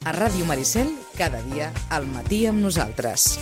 A Ràdio Maricel, cada dia, al matí amb nosaltres.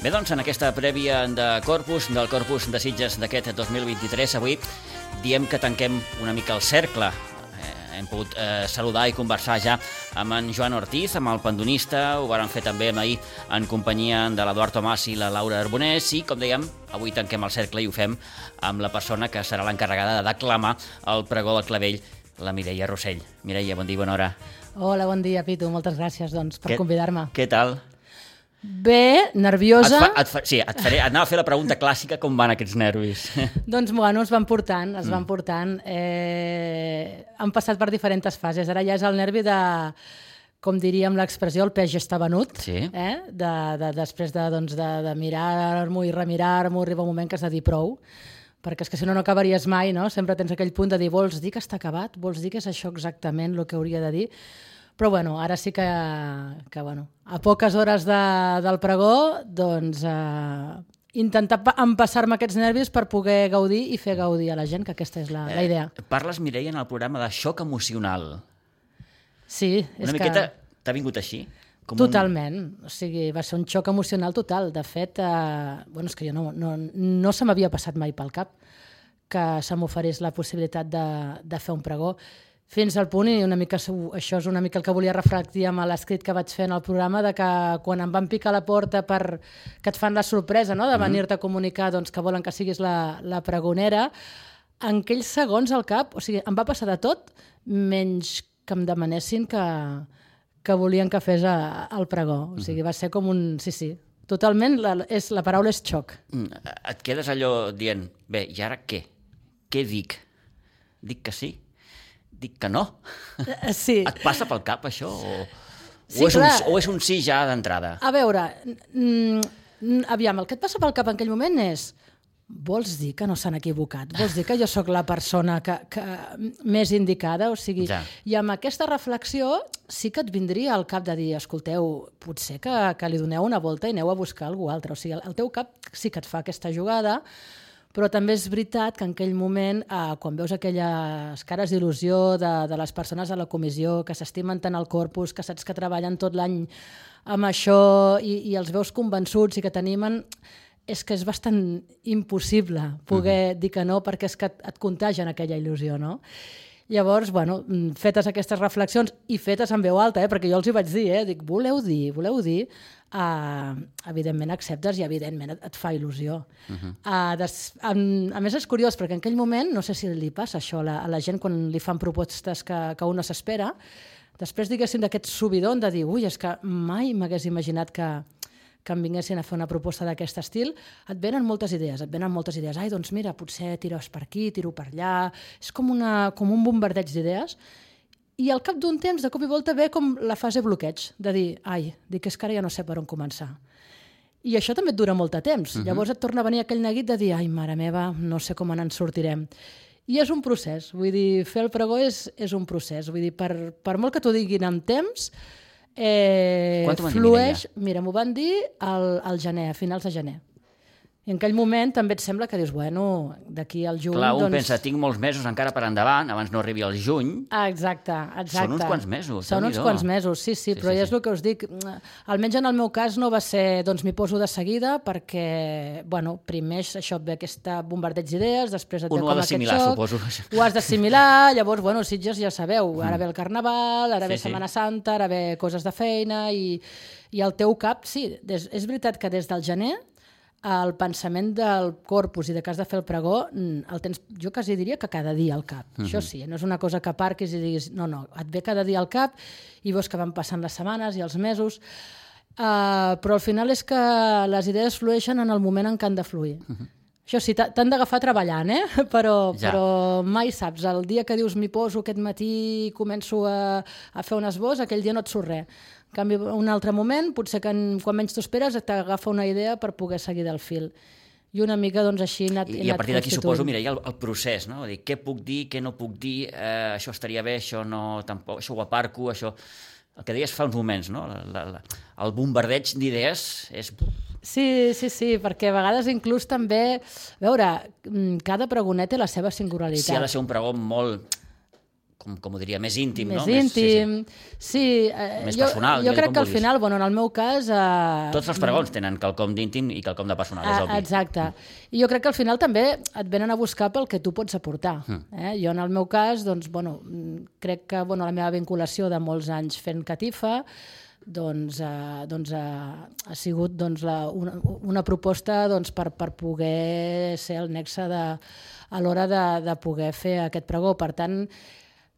Bé, doncs, en aquesta prèvia del Corpus de Sitges d'aquest 2023, avui diem que tanquem una mica el cercle. Hem pogut saludar i conversar ja amb en Joan Ortiz, amb el pandonista, ho vàrem fer també ahir en companyia de l'Eduard Tomàs i la Laura Arbonès, i, com dèiem, avui tanquem el cercle i ho fem amb la persona que serà l'encarregada de declamar el pregó del clavell, la Mireia Rossell. Mireia, bon dia, bona hora. Hola, bon dia, Pitu. Moltes gràcies per convidar-me. Què tal? Bé, nerviosa. Anava a fer la pregunta clàssica, com van aquests nervis? Doncs, bueno, es van portant. Han passat per diferents fases. Ara ja és el nervi de, com diríem l'expressió, el peix ja està venut. Sí. Després de mirar-m'ho i remirar-m'ho, arriba un moment que has de dir prou, perquè és que si no, no acabaries mai, no? Sempre tens aquell punt de dir, vols dir que està acabat? Vols dir que és això exactament el que hauria de dir? Però bueno, ara sí que a poques hores del pregó, doncs intentar empassar-me aquests nervis per poder gaudir i fer gaudir a la gent, que aquesta és la idea. Parles, Mireia, en el programa de xoc emocional. Sí. Una miqueta t'ha vingut així? Totalment. O sigui, va ser un xoc emocional total. De fet, és que jo no se m'havia passat mai pel cap que se m'oferís la possibilitat de fer un pregó. Fins al punt, i una mica això és una mica el que volia reflectir amb l'escrit que vaig fer en el programa, de que quan em van picar a la porta que et fan la sorpresa, no?, de venir-te a comunicar que volen que siguis la pregonera, en aquells segons al cap, o sigui, em va passar de tot, menys que em demanessin que volien que fes el pregó. O sigui, va ser com un... Sí, totalment, la paraula és xoc. Et quedes allò dient, bé, i ara què? Què dic? Dic que sí? Dic que no? Sí. Et passa pel cap, això? Sí, o és un sí ja d'entrada? A veure, aviam, el que et passa pel cap en aquell moment és, vols dir que no s'han equivocat? Vols dir que jo sóc la persona que més indicada? O sigui, i amb aquesta reflexió sí que et vindria al cap de dir, escolteu, potser que li doneu una volta i aneu a buscar algú altre. O sigui, el teu cap sí que et fa aquesta jugada, però també és veritat que en aquell moment, quan veus aquelles cares d'il·lusió de les persones a la comissió, que s'estimen tant al Corpus, que saps que treballen tot l'any amb això i els veus convençuts i que t'animen, és que és bastant impossible poder dir que no, perquè és que et contagien aquella il·lusió, no? Llavors, fetes aquestes reflexions i fetes en veu alta, perquè jo els hi vaig dir, dic, voleu dir, evidentment acceptes i evidentment et fa il·lusió. A més és curiós, perquè en aquell moment, no sé si li passa això a la gent quan li fan propostes que un no s'espera, després diguéssim d'aquest subidon de dir, ui, és que mai m'hagués imaginat que em vinguessin a fer una proposta d'aquest estil, et venen moltes idees. Ai, doncs mira, potser tires per aquí, tiro per allà... És com un bombardeig d'idees. I al cap d'un temps, de cop i volta, ve com la fase bloqueig, de dir, és que ara ja no sé per on començar. I això també et dura molt de temps. Llavors et torna a venir aquell neguit de dir, ai, mare meva, no sé com en sortirem. I és un procés. Vull dir, fer el pregó és un procés. Vull dir, per molt que t'ho diguin amb temps, quan t'ho van dir, flueix... Mira, m'ho van dir al gener, a finals de gener. I en aquell moment també et sembla que dius, d'aquí al juny... Clar, un pensa, tinc molts mesos encara per endavant, abans no arribi al juny. Exacte. Són uns quants mesos. Són uns quants mesos, sí, però ja és el que us dic. Almenys en el meu cas no va ser, doncs m'hi poso de seguida, perquè, primer això et ve aquest bombardeig d'idees, després et ve com aquest xoc. Suposo. Ho has d'assimilar, llavors, Sitges ja sabeu, ara ve el Carnaval, ara ve Setmana Santa, ara ve coses de feina, i el teu cap, sí, és veritat que des del gener el pensament del Corpus i de que has de fer el pregó el tens, jo quasi diria que cada dia al cap. Això sí, no és una cosa que aparquis i diguis no, et ve cada dia al cap i veus que van passant les setmanes i els mesos, però al final és que les idees flueixen en el moment en què han de fluir. Això sí, t'han d'agafar treballant, però mai saps. El dia que dius m'hi poso aquest matí i començo a fer un esbós, aquell dia no et surt res. En canvi, un altre moment, potser que quan menys t'ho esperes, t'agafa una idea per poder seguir del fil. I una mica, doncs, així he anat I a partir d'aquí suposo, Mireia, el procés, no? Dir, què puc dir, què no puc dir, això estaria bé, això no, tampoc, això ho aparco, això... el que deies fa uns moments, no? El bombardeig d'idees és... Sí, perquè a vegades inclús també... A veure, cada pregoner té la seva singularitat. Sí, ha de ser un pregó molt, com ho diria, més íntim, no? Més íntim, sí. Més personal. Jo crec que al final, bueno, en el meu cas... Tots els pregons tenen quelcom d'íntim i quelcom de personal, és obvi. Exacte. I jo crec que al final també et venen a buscar pel que tu pots aportar. Jo, en el meu cas, doncs, bueno, crec que la meva vinculació de molts anys fent catifa ha sigut una proposta per poder ser el nexe a l'hora de poder fer aquest pregó. Per tant,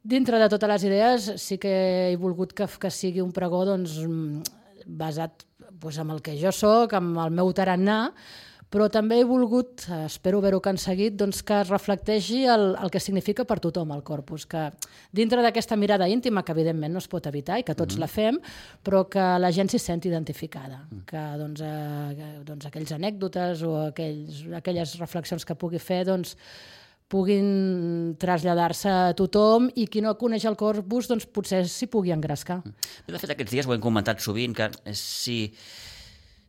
dintre de totes les idees sí que he volgut que sigui un pregó basat en el que jo soc, amb el meu tarannà, però també he volgut, espero haver-ho aconseguit, que es reflecteixi el que significa per tothom el corpus, que dintre d'aquesta mirada íntima, que evidentment no es pot evitar i que tots la fem, però que la gent s'hi senti identificada, que aquells anècdotes o aquelles reflexions que pugui fer puguin traslladar-se a tothom i qui no coneix el corpus potser s'hi pugui engrescar. De fet, aquests dies ho hem comentat sovint, que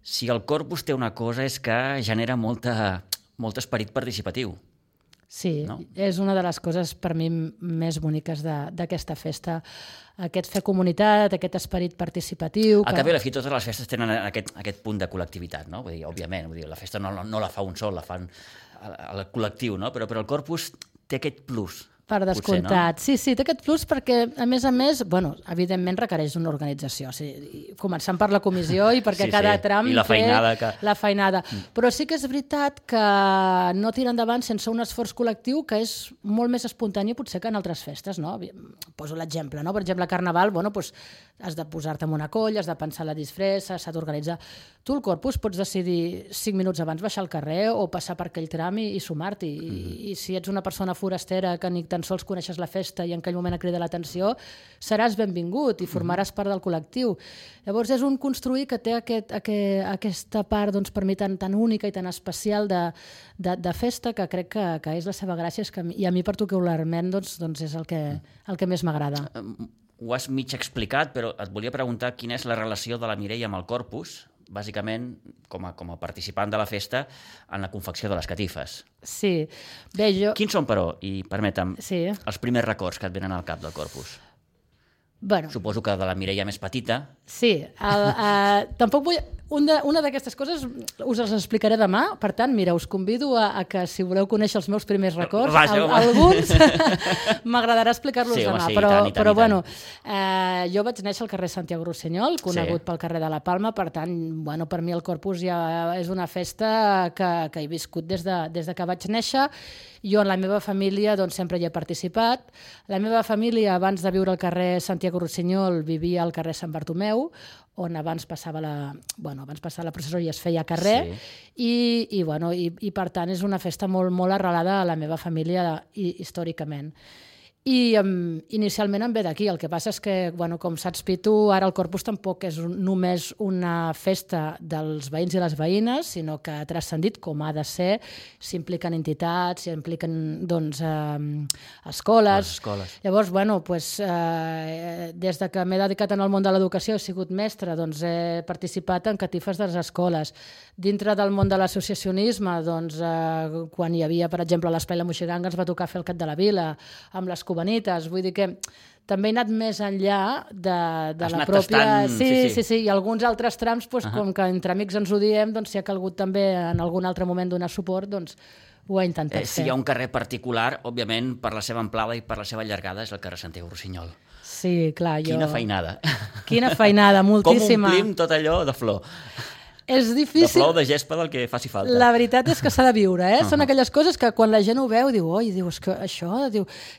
si el corpus té una cosa és que genera molt esperit participatiu. Sí, no? És una de les coses per mi més boniques d'aquesta festa. Aquest fer comunitat, aquest esperit participatiu... Al cap i a la fi, totes les festes tenen aquest punt de col·lectivitat, no? Vull dir, òbviament, la festa no la fa un sol, la fan el col·lectiu, no? Però el corpus té aquest plus. Per descomptat. Potser, no? Sí, té aquest plus perquè, a més, evidentment requereix una organització. Començant per la comissió i perquè cada tram i la feinada. Però sí que és veritat que no tira endavant sense un esforç col·lectiu que és molt més espontani potser que en altres festes. No? Poso l'exemple. No? Per exemple, a Carnaval has de posar-te en una colla, has de pensar la disfressa, s'ha d'organitzar. Tu el corpus pots decidir 5 minuts abans baixar al carrer o passar per aquell tram i sumar-t'hi. I si ets una persona forastera que ni tan sols coneixes la festa i en aquell moment et crida l'atenció, seràs benvingut i formaràs part del col·lectiu. Llavors és un construir que té aquesta part per mi tan única i tan especial de festa que crec que és la seva gràcia i a mi particularment és el que més m'agrada. Ho has mig explicat, però et volia preguntar quina és la relació de la Mireia amb el corpus, bàsicament com a participant de la festa en la confecció de les catifes. Sí. Bé, Quins són, però, i permetem, els primers records que et venen al cap del corpus? Suposo que de la Mireia més petita. Sí. Tampoc vull... Una d'aquestes coses us les explicaré demà, per tant, mira, us convido a que si voleu conèixer els meus primers records, alguns m'agradarà explicar-los demà, però bueno, jo vaig néixer al carrer Santiago Rossinyol, conegut pel carrer de la Palma, per tant, per mi el Corpus ja és una festa que he viscut des de que vaig néixer. Jo en la meva família sempre hi he participat. La meva família, abans de viure al carrer Santiago Rossinyol, vivia al carrer Sant Bartomeu, on abans passava la processó i es feia a carrer, i per tant és una festa molt, molt arrelada a la meva família històricament. I inicialment em ve d'aquí. El que passa és que, com saps, Pitu, ara el Corpus tampoc és només una festa dels veïns i les veïnes, sinó que ha transcendit com ha de ser. S'impliquen entitats, s'impliquen escoles. Llavors, des que m'he dedicat en el món de l'educació, he sigut mestra, he participat en catifes de les escoles. Dintre del món de l'associacionisme, quan hi havia, per exemple, a l'Espai La Moixiganga, ens va tocar fer el Cap de la Vila, amb les Cubanites, vull dir que també he anat més enllà de la pròpia... Sí, i alguns altres trams, com que entre amics ens ho diem, si ha calgut també en algun altre moment donar suport, ho he intentat fer. Si hi ha un carrer particular, òbviament, per la seva amplada i per la seva allargada, és el carrer Santiago Rossinyol. Sí, clar, Quina feinada. Quina feinada, moltíssima. Com omplim tot allò de flor. És difícil. De flor, de gespa, del que faci falta. La veritat és que s'ha de viure, Són aquelles coses que quan la gent ho veu diu, és que això,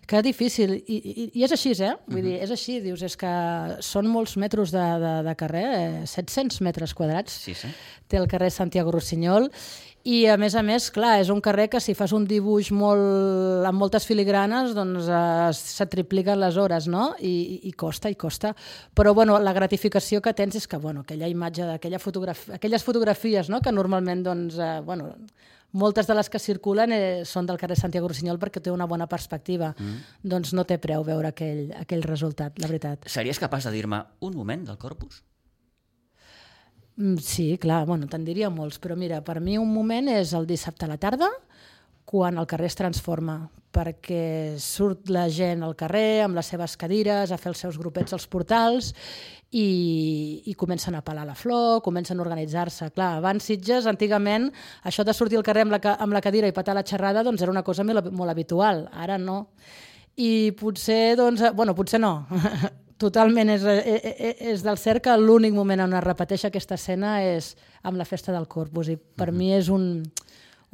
que difícil. I és així, Vull dir, és així, dius, és que són molts metres de carrer, 700 metres quadrats. Sí. Té el carrer Santiago Rossinyol. I, a més, clar, és un carrer que si fas un dibuix amb moltes filigranes, se tripliquen les hores, no? I costa. Però, la gratificació que tens és que, aquella imatge, aquelles fotografies, no?, que normalment, moltes de les que circulen són del carrer Santiago Rossinyol perquè té una bona perspectiva. Doncs no té preu veure aquell resultat, la veritat. Series capaç de dir-me un moment del Corpus? Sí, clar, bueno, te'n diria molts, però mira, per mi un moment és el dissabte a la tarda, quan el carrer es transforma, perquè surt la gent al carrer amb les seves cadires a fer els seus grupets als portals i comencen a pelar la flor, comencen a organitzar-se. Clar, abans Sitges, antigament, això de sortir al carrer amb la cadira i petar la xerrada doncs era una cosa molt habitual, ara no. I potser, doncs, bueno, potser no, totalment és del cert que l'únic moment on es repeteix aquesta escena és amb la festa del Corpus i per mi és un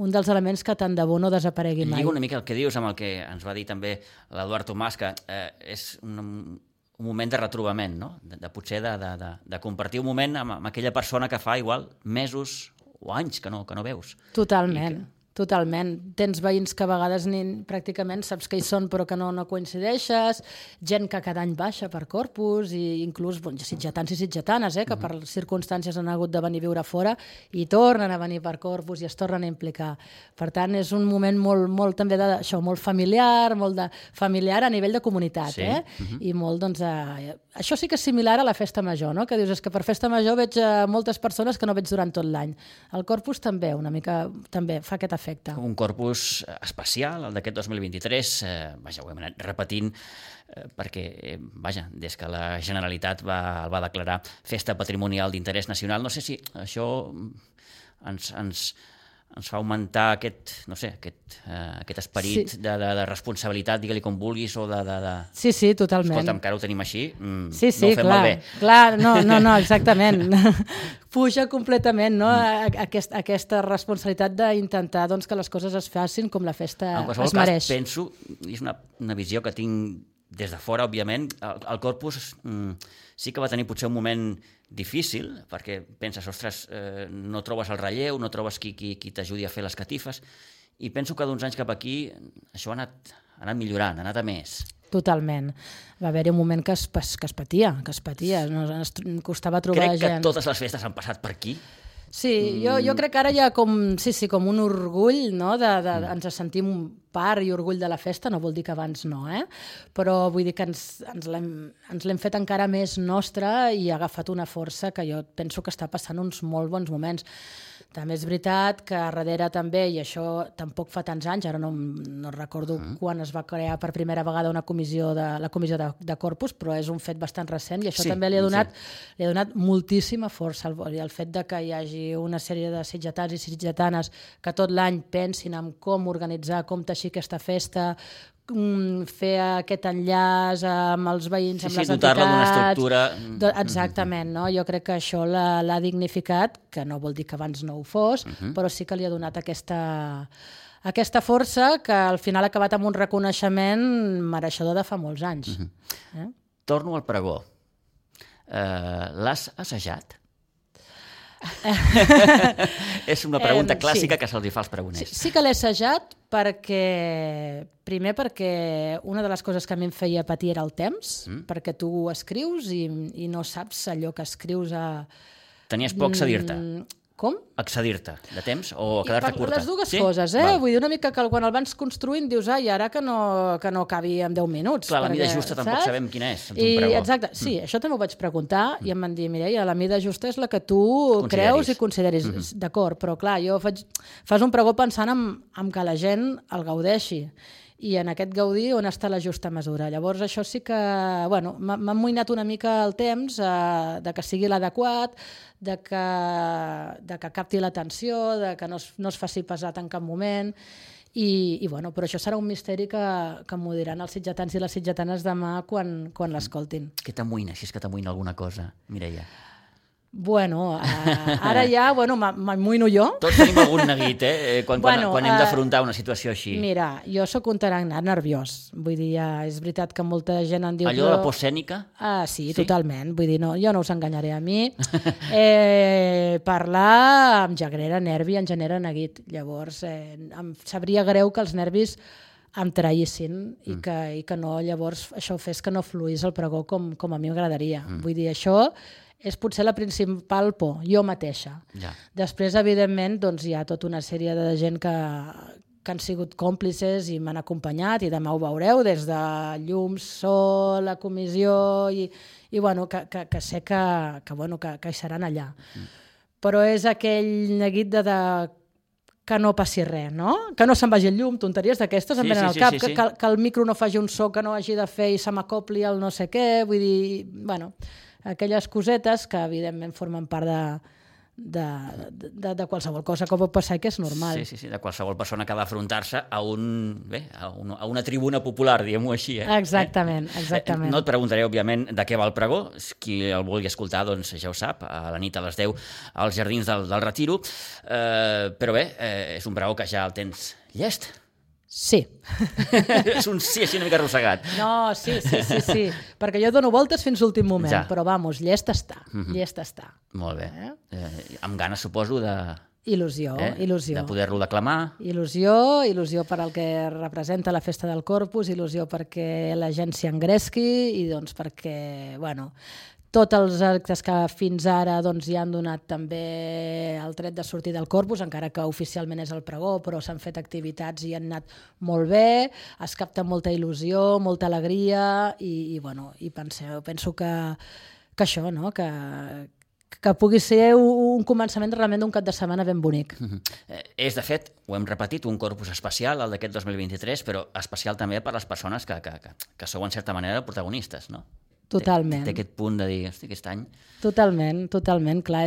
dels elements que tant de bo no desaparegui mai. Lliga una mica el que dius amb el que ens va dir també l'Eduard Tomàs, que és un moment de retrobament, no? Potser de compartir un moment amb aquella persona que fa igual mesos o anys que no veus. Totalment. Totalment. Tens veïns que a vegades pràcticament saps que hi són però que no coincideixes, gent que cada any baixa per Corpus i inclús sitgetans i sitgetanes que per circumstàncies han hagut de venir a viure fora i tornen a venir per Corpus i es tornen a implicar. Per tant, és un moment molt també d'això, molt familiar, familiar a nivell de comunitat. Sí. I molt, doncs, això sí que és similar a la festa major, no? Que dius, és que per festa major veig moltes persones que no veig durant tot l'any. El Corpus també, una mica, també fa aquest efecte. Un Corpus especial, el d'aquest 2023, ho hem anat repetint perquè, des que la Generalitat el va declarar Festa Patrimonial d'Interès Nacional, no sé si això ens fa augmentar aquest esperit de responsabilitat, digue-li com vulguis, o de... Sí, totalment. Escolta'm, que ara ho tenim així, no ho fem malbé. Clar, no, exactament. Puja completament, no? Aquesta responsabilitat d'intentar que les coses es facin com la festa es mereix. Cas, penso, i és una visió que tinc des de fora, òbviament, el Corpus sí que va tenir potser un moment difícil, perquè penses, ostres, no trobes el relleu, no trobes qui t'ajudi a fer les catifes, i penso que d'uns anys cap aquí això ha anat millorant, ha anat a més. Totalment. Va haver-hi un moment que es patia, costava trobar gent. Crec que totes les festes han passat per aquí. Sí, jo crec que ara hi ha com un orgull, no? Ens sentim part i orgull de la festa, no vol dir que abans no, però vull dir que ens l'hem fet encara més nostra i ha agafat una força que jo penso que està passant uns molt bons moments. També és veritat que darrere també, i això tampoc fa tants anys, ara no recordo quan es va crear per primera vegada la comissió de Corpus, però és un fet bastant recent i això també li ha donat moltíssima força el fet de que hi hagi una sèrie de sitgetans i sitgetanes que tot l'any pensin en com organitzar, com teixir aquesta festa, fer aquest enllaç amb els veïns, amb les entitats... dotar-la d'una estructura... Exactament, no? Jo crec que això l'ha dignificat, que no vol dir que abans no ho fos, però sí que li ha donat aquesta força que al final ha acabat amb un reconeixement mereixedor de fa molts anys. Torno al pregó. L'has assajat? És una pregunta clàssica que se'ls fa als pregoners. Sí que l'he assajat primer perquè una de les coses que a mi em feia patir era el temps, perquè tu escrius i no saps allò que escrius Tenies por a accedir-te? Com? Accedir-te de temps o quedar-te curta? Les dues coses, Vull dir, una mica que quan el vas construint dius, i ara que no cabi en 10 minuts. Clar, la mida justa tampoc sabem quina és. Exacte, sí, això també ho vaig preguntar i em van dir, Mireia, la mida justa és la que tu creus i consideris. D'acord, però clar, fas un pregó pensant en que la gent el gaudeixi. I en aquest gaudir on està la justa mesura. Llavors això sí que m'ha amoïnat una mica el temps de que sigui l'adequat, de que capti l'atenció, de que no es faci pesat en cap moment però això serà un misteri que m'ho diran els sitgetans i les sitgetanes demà quan l'escoltin. Què t'amoïna, si és que t'amoïna alguna cosa, Mireia? Ara ja, m'amoïno jo. Tots tenim algun neguit, quan hem d'afrontar una situació així. Mira, jo sóc un tarannà nerviós. Vull dir, és veritat que molta gent en diu... Allò de la por escènica? Sí, totalment. Vull dir, jo no us enganyaré a mi. Parlar em genera nervi, em genera neguit. Llavors, em sabria greu que els nervis em traïssin i que no, llavors, això fes que no fluís el pregó com a mi m'agradaria. Vull dir, això és potser la principal por, jo mateixa. Ja. Després, evidentment, doncs, hi ha tota una sèrie de gent que han sigut còmplices i m'han acompanyat, i demà ho veureu, des de llum, sol, la comissió, i bueno, que sé que hi seran allà. Però és aquell neguit de que no passi res, no? Que no se'n vagi el llum, tonteries d'aquestes em venen al cap, que el micro no faci un so que no hagi de fer i se m'acopli el no sé què, vull dir, bueno, aquelles cosetes que evidentment formen part de qualsevol cosa que pot passar i que és normal. Sí, de qualsevol persona que ha d'afrontar-se a una tribuna popular, diguem-ho així. Exactament. No et preguntaré, òbviament, de què va el pregó. Qui el vulgui escoltar, doncs ja ho sap, a la nit a les 10 als Jardins del Retiro. Però bé, és un pregó que ja el tens llest. Sí. És un sí així una mica arrossegat. No, sí, perquè jo dono voltes fins l'últim moment, però vamos, llest està. Molt bé. Amb ganes, suposo, de... Il·lusió. De poder-lo declamar. Il·lusió per al que representa la festa del Corpus, il·lusió perquè la gent s'hi engresqui i doncs perquè, bueno, tots els actes que fins ara hi han donat també el tret de sortir del Corpus, encara que oficialment és el pregó, però s'han fet activitats i han anat molt bé, es capta molta il·lusió, molta alegria i penso que això, no? Que pugui ser un començament realment d'un cap de setmana ben bonic. És, de fet, ho hem repetit, un Corpus especial, el d'aquest 2023, però especial també per les persones que sou en certa manera protagonistes, no? Totalment. Té aquest punt de dir, hosti, aquest any... Totalment, clar,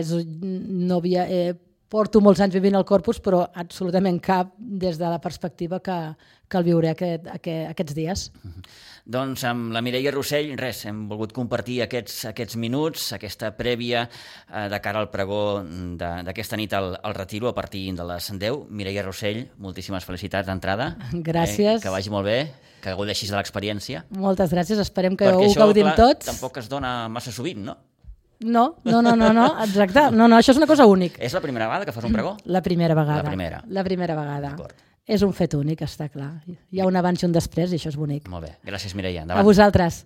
porto molts anys vivint al Corpus, però absolutament cap des de la perspectiva que el viuré aquests dies. Doncs amb la Mireia Rossell, hem volgut compartir aquests minuts, aquesta prèvia de cara al pregó d'aquesta nit al Retiro a partir de les 10. Mireia Rossell, moltíssimes felicitats d'entrada. Gràcies. Que vagi molt bé, que gaudeixis de l'experiència. Moltes gràcies, esperem que ho gaudim tots. Perquè això, tampoc es dona massa sovint, no? No, exacte. No, això és una cosa única. És la primera vegada que fas un pregó? La primera vegada. La primera vegada. És un fet únic, està clar. Hi ha un abans i un després i això és bonic. Molt bé. Gràcies, Mireia. Endavant. A vosaltres.